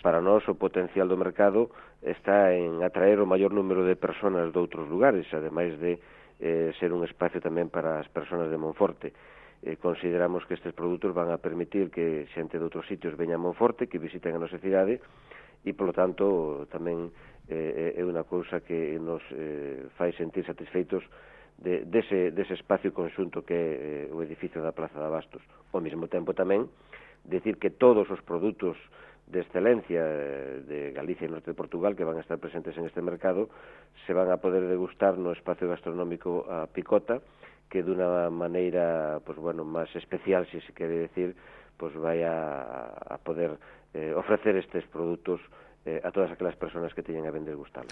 Para nós o potencial do mercado está en atraer o maior número de persoas de outros lugares, ademais de ser un espacio tamén para as persoas de Monforte. Consideramos que estes produtos van a permitir que xente de outros sitios veña a Monforte, que visiten a nosa cidade, e, polo tanto, tamén é unha cousa que nos fai sentir satisfeitos dese espacio conxunto que é o edificio da Plaza de Abastos. Ao mesmo tempo tamén, decir que todos os produtos de excelencia de Galicia e Norte de Portugal que van a estar presentes en este mercado se van a poder degustar no espacio gastronómico a Picota, que dunha maneira, pues bueno, máis especial, se quere decir, pues vai a poder ofrecer estes produtos a todas aquelas persoas que teñen a ben degustalos.